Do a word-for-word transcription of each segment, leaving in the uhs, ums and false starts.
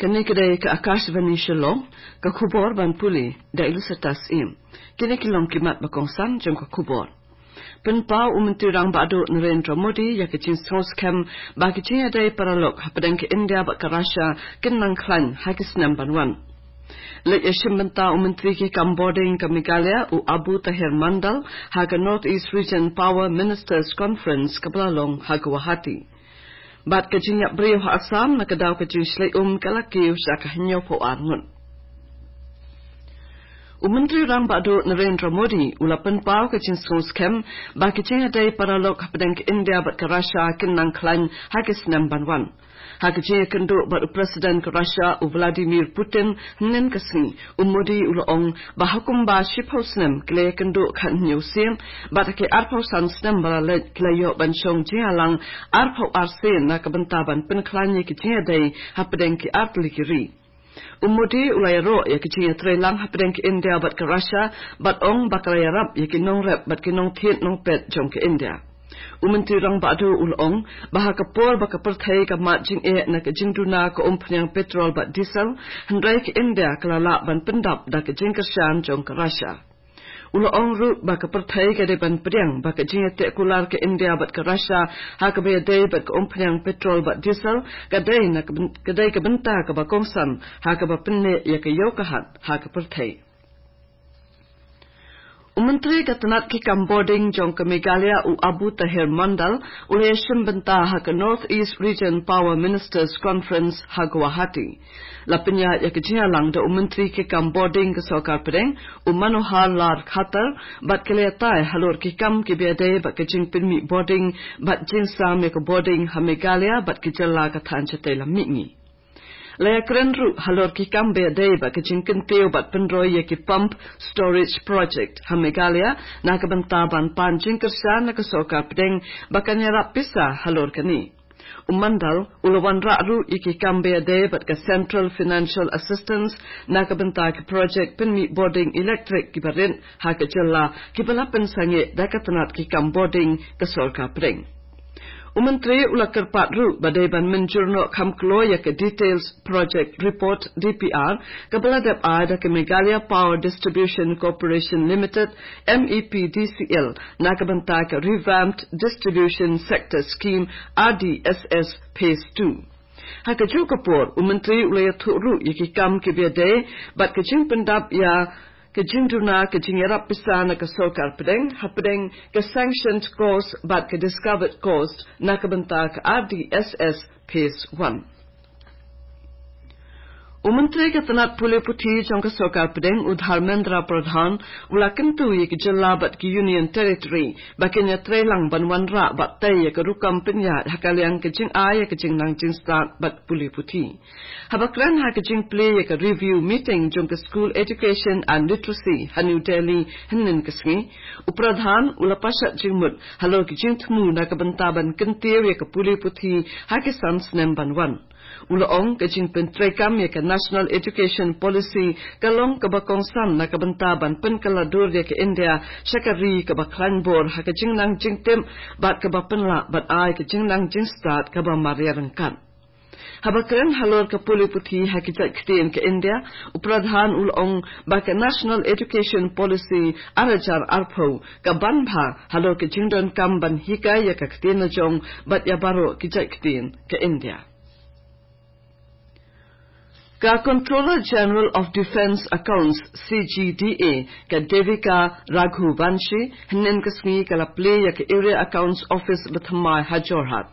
Kane ka dei ka Akashvani Shillong, ka khubor ban pule da i Lucetta Syiem. Kine ki long ki mat ba kongsan jong ka khubor. Pynpaw u Myntri Rangbah Duh Narendra Modi ïa ka jingsngewskhem ba ki jingïadei paralok hapdeng ka India bad ka Russia kin nang khlaiñ ha ki snem ban wan. Leit ïashim bynta u Myntri ki kam bording ka Meghalaya u Abu Taher Mondal ha ka North East Region Power Ministers Conference kaba la long ha Guwahati. Bad ka jingïap briew ha Assam na ka daw ka jingshlei um ka la kiew sha ka hynñiewphew ar ngut. U Myntri Rangbah Duh Narendra Modi u la pynpaw ka jingsngewskhem ba ki jingïadei paralok hapdeng ka India bad ka Russia kin nang khlaiñ ha ki snem ban wan. Ha ka jingïakynduh bad u President ka Russia u Vladimir Putin hynnin ka sngi, u Modi u la ong ba ha kumba shiphew snem ki la ïakynduh khathynñiew sien, bad ha ki arphew san snem ba la leit ki la ïoh ban shong jingïalang arphew ar sien na ka bynta ban pynkhlaiñ ïa ki jingïadei hapdeng ki artylli ki ri. U Modi u la ïaroh ïa ki jingïatreilang hapdeng ka India bad ka Russia, bad ong ba ka la ïarap ïa ki nongrep bad ki nongthied nongpet jong ka India. U Myntri Rangbah Duh u la ong ba ha ka por ba ka pyrthei ka mad jingeh na ka jingduna ka umphniang petrol bad diesel, hynrei ka India ka la lah ban pyndap da ka jingkyrshan jong ka Russia. U la ong ruh ba ka pyrthei ka dei ban pdiang ba ka jingïateh kular ka India bad ka Russia ha kaba ïadei bad ka umphniang petrol bad diesel ka dei na ka byn-, ka dei ka bynta kaba kongsan ha kaba pynneh ïa ka ïew ka hat ha ka pyrthei. U Myntri ka tnat ki kam bording jong ka Meghalaya u Abu Taher Mondal u la ïashim bynta ha ka North East Region Power Ministers Conference ha Guwahati. La pynïaid ïa ka jingïalang da u Myntri ki kam bording ka Sorkar Pdeng u Manohar Lal Khattar, bad ki la ïatai halor ki kam kiba ïadei bad ka jingpynmih bording bad jingsam ïa ka bording ha Meghalaya bad ki jylla ka thaiñ shatei lam mihngi. La ïakren ruh halor ki kam ba ïadei bad ka jingkyntiew bad pynroi ïa ki pump storage project ha Meghalaya na ka bynta ban pan jingkyrshan na ka Sorkar Pdeng ba kan ïarap pisa halor kane. U Mondal u la wanrah ruh ïa ki kam ba ïadei bad ka Central Financial Assistance na ka bynta ki project pynmih bording elektrik kiba rit ha ka jylla kiba la pynsangeh da ka tnat ki kam bording ka Sorkar Pdeng. U Myntri u la kyrpad ruh ba dei ban mynjur noh kham kloi ïa ka Details Project Report, D P R, kaba la dep ai da ka Meghalaya Power Distribution Corporation Limited, M E P D C L, na ka bynta ka Revamped Distribution Sector Scheme, R D S S, Phase two. Ha kajuh ka por, u Myntri u la ïathuh ruh ïa ki kam kiba ïadei bad ka jingpyndap ïa ka jingduna ka jingïarap pisa na ka Sorkar Pdeng hapdeng ka sanctioned cost bad ka discovered cost na ka bynta ka R D S S Phase one. U Myntri ka tnat pule puthi jong ka Sorkar Pdeng u Dharmendra Pradhan u la kyntu ïa ki jylla bad ki Union Territory ba kin ïatreilang ban wanrah bad tei ïa ka rukom pynïaid ha ka liang ka jingai ïa ka jingnang jingstad bad pule puthi. Haba kren ha ka jingplie ïa ka review meeting jong ka School Education and Literacy ha New Delhi hynnin ka sngi, u Pradhan u la pashat jingmut halor ka jingthmu na ka bynta ban kyntiew ïa ka pule puthi ha ki san snem ban wan. U la ong ka jingpyntreikam ïa ka National Education Policy ka long kaba kongsan na ka bynta ban pynkylla dur ïa ka India sha ka ri kaba khlaiñ bor ha ka jingnang jingtip bad kaba pynlah bad ai ka jingnang jingstad kaba mareh ryngkat. Haba kren halor ka pule puthi ha ki jait ktien ka India, u Pradhan u la ong ba ka National Education Policy ar hajar arphew ka ban bha halor ka jingdonkam ban hikai ïa ka ktien la jong bad ïa baroh ki jait ktien ka India. Ka Controller General of Defence Accounts, C G D A, ka Devika Raghuvanshi, hynnin ka sngi ka la plie ïa ka Area Accounts Office ba thymmai ha Jorhat.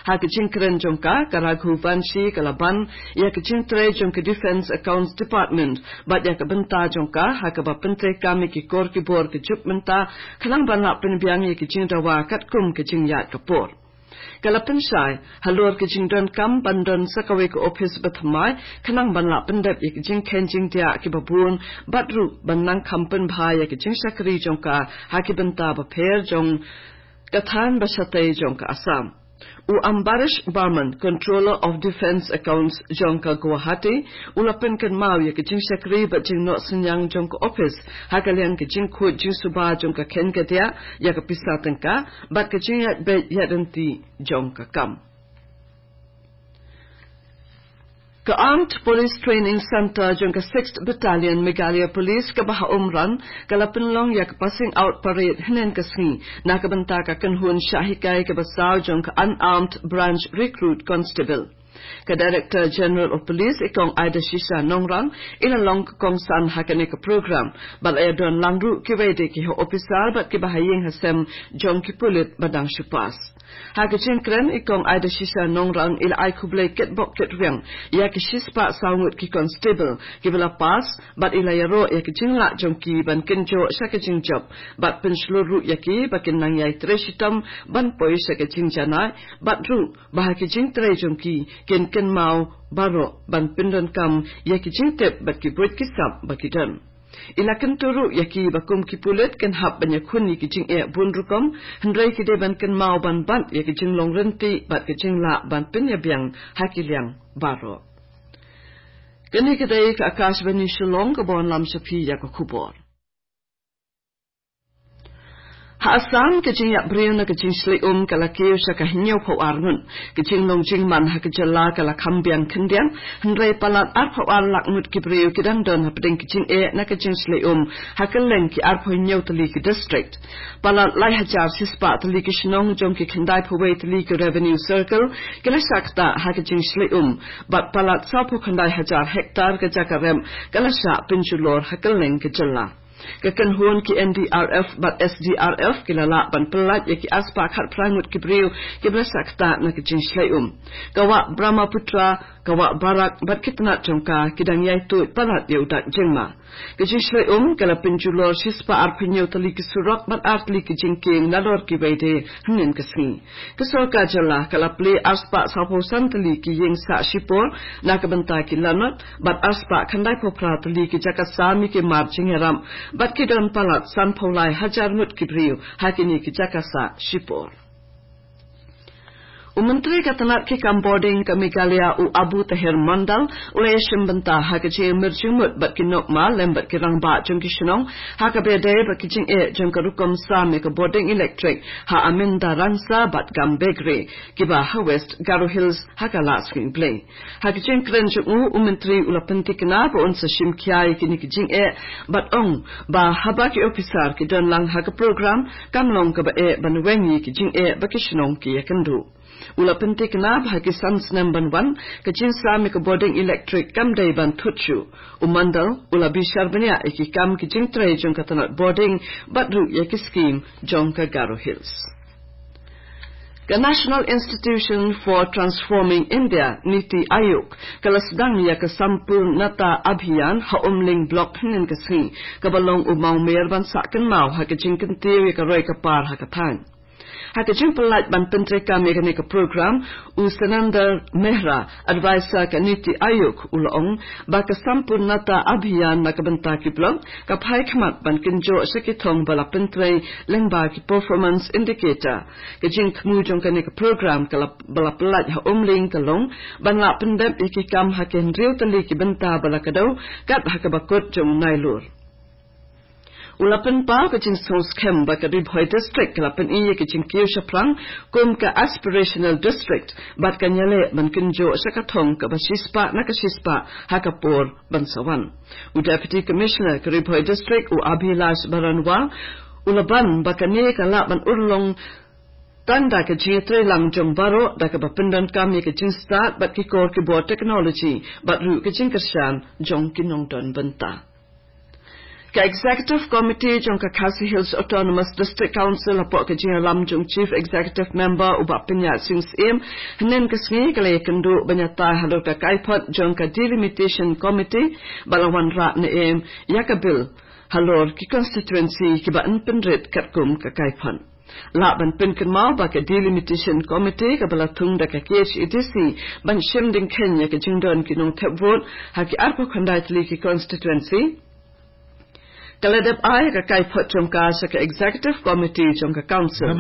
Ha ka jingkren jong ka, ka Raghuvanshi ka la ban ïa ka jingtrei jong ka Defence Accounts Department bad ïa ka bynta jong ka ha kaba pyntreikam ïa ki kor ki bor ka juk mynta khnang ban lah pynbiang ïa ka jingdawa katkum ka jingïaid ka por. Ka la pynshai halor ka jingdonkam ban don sa kawei ka ophis ba thymmai khnang ban lah pyndep ïa ka jingkheiñ jingdiah kiba bun bad ruh ban nang kham pynbha ïa ka jingshakri jong ka ha ki bynta bapher jong ka thaiñ ba shatei jong ka Assam. U Ambarish Barman, Controller of Defence Accounts jong ka Guwahati, u la pynkynmaw ïa ka jingshakri bad jingnoh synñiang jong ka ophis ha ka liang ka jingkhuid jingsuba jong ka kheiñ ka diah ïa ka pisa tyngka bad ka jingïaid beit ïaid ryntih jong ka kam. Ka Armed Police Training Centre jong ka Sixth Battalion Meghalaya Police kaba ha Umran, ka la pynlong ïa ka passing out parade hynnin ka sngi, na ka bynta ka kynhun shah hikai kaba saw jong ka Unarmed Branch Recruit Constable. Ka Director General of Police, i Kong Aida Shisha Nongrang, i la long ka kongsan ha kane ka program, bad la ïa don lang ruh kiwei de ki ha officer, bad kiba ha ïing ha sem jong ki pulit ba dang shu pass. Ha ka jingkren, i Kong Aida Shisha Nongrang i la ai khublei kitbok kitrwiang ïa ki shispah saw ngut ki constable kiba la pass, bad i la ïaroh ïa ka jinglah jong ki ban kynjoh sha ka jingjop, bad pynshlur ruh ïa ki ba kin nang ïai trei shitom ban poi sha ka jingjanai, bad ruh ba ha ka jingtrei jong ki kin kynmaw baroh ban pyndonkam ïa ki jingtip bad ki buit ki sap ba ki don. I la kyntu ruh ïa ki ba kum ki pulit kin hap ban ïakhun ïa ki jingeh bun rukom, hynrei ki dei ban kynmaw ban bat ïa ki jinglong rynti bad ki jinglah ban pynïabiang ha ki liang baroh. Kane ka dei ka Akashvani Shillong kaba wanlam sha phi ïa ka khubor. Ha Assam, ka jingïap briew na ka jingshlei um ka la kiew sha ka hynñiewphew ar ngut. Ka jinglong jingman ha ka jylla ka la kham biang khyndiat, hynrei palat arphew ar lak ngut ki briew ki dang don hapdeng ka jingeh na ka jingshlei um ha kylleng ki arphew hynñiew tylli ki district. Palat lai hajar shispah tylli ki shnong jong ki khyndaiphew wei tylli ki revenue circle ki la shah ktah ha ka jingshlei um, bad palat sawphew khyndai hajar hektar ka jaka rep ka la shah pynjulor ha kylleng ka jylla. Ka kynhun ki N D R F bad S D R F ki la lah ban pyllait ïa ki arspah khatphra ngut ki briew kiba la shah ktah na ka jingshlei um. Ka wah Brahmaputra, ka wah Barak bad ki tnat jong ka ki dang ïai tuid palat ïa u dak jingma. Ka jingshlei um ka la pynjulor shispah arphew hynñiew tylli ki surok bad ar tylli ki jingkieng nalor kiwei de hynnin ka sngi. Ka sorkar jylla ka la plie arspah sawphew san tylli ki ïing sah shipor na ka bynta ki lanot, bad arspah khyndaiphew phra tylli ki jaka sam ïa ki mar jingïarap, bad ki don palat sanphew lai hajar ngut ki briew ha kine ki jaka sah shipor. U Myntri ka tnat ki kam bording ka Meghalaya, u Abu Taher Mondal, u la ïashim bynta ha ka jingïamir jingmut bad ki nongmah lem bad ki rangbah jong ki shnong ha kaba ïadei bad ki jingeh jong ka rukom sam ïa ka bording electric ha Amindarangsa bad Gambegre, kiba ha West Garo Hills, ha ka Lasphing Blei. Ha ka jingkren jong u, u Myntri u la pynthikna ba un sa shim khia ïa kine ki jingeh, bad ong ba haba ki officer ki don lang ha ka program, kam long kaba eh ban weng ïa ki jingeh ba ki shnong ki ïakynduh. U la pynthikna ba ha ki san snem ban wan, ka jingsam ïa ka bording electric kam dei ban thut shuh. U Mondal u la bishar bniah ïa ki kam ki jingtrei jong ka tnat bording, bad ruh ïa ki skim jong ka Garo Hills. Ka National Institution for Transforming India, NITI Aayog, ka la sdang ïa ka Sampoornata Abhiyan ha Umling Block hynnin ka sngi, kaba long u mawmer ban sah kynmaw ha ka jingkyntiew ïa ka roi ka par ha ka thaiñ. Ha ka jingpyllait ban pyntreikam ïa kane ka program, u Sanandar Mehra, advisor ka NITI Aayog, u la ong ba ka Sampoornata Abhiyan na ka bynta ki block ka phai khmat ban kynjoh sha ki thong ba la pyntrei lyngba ki performance indicator. Ka jingthmu jong kane ka program ka la, ba la pyllait ha Umling ka long ban lah pyndep ïa ki kam ha ki hynriew tylli ki bynta ba la kdew, kat ha kaba kut jong u Nailur. U la pynpaw ka jingsngewskhem ba ka Ri Bhoi District ka la pyni ïa ka jingkiew shaphrang kum ka aspirational district, bad kan ïaleh ban kynjoh sha ka thong kaba shispah na ka shispah ha ka por ban sa wan. U Deputy Commissioner ka Ri Bhoi District, u Abhilash Baranwal, u la ban ba kane ka lah ban urlong tang da ka jingïatreilang jong baroh, da kaba pyndonkam ïa ka jingstad bad ki kor ki bor technology, bad ruh ka jingkyrshan jong ki nongdon bynta. Ka Executive Committee jong ka Khasi Hills Autonomous District Council, hapoh ka jingïalam jong Chief Executive Member u Bah Pyniaid Sing Syiem, hynnin ka sngi ka la ïakynduh ban ïatai halor ka kaiphod jong ka Delimitation Committee, ba la wanrah ne em ïa ka bill halor ki constituency kiba yn pynrit katkum ka kaiphod. Lah ban pynkynmaw ba ka Delimitation Committee kaba la thung da ka K H A D C ban shim dyngkheiñ ïa ka jingdon ki nongthep vote ha ki arphew khyndai tylli ki constituency, ka la dep ai ka kaiphod jong ka sha ka Executive Committee jong ka Council.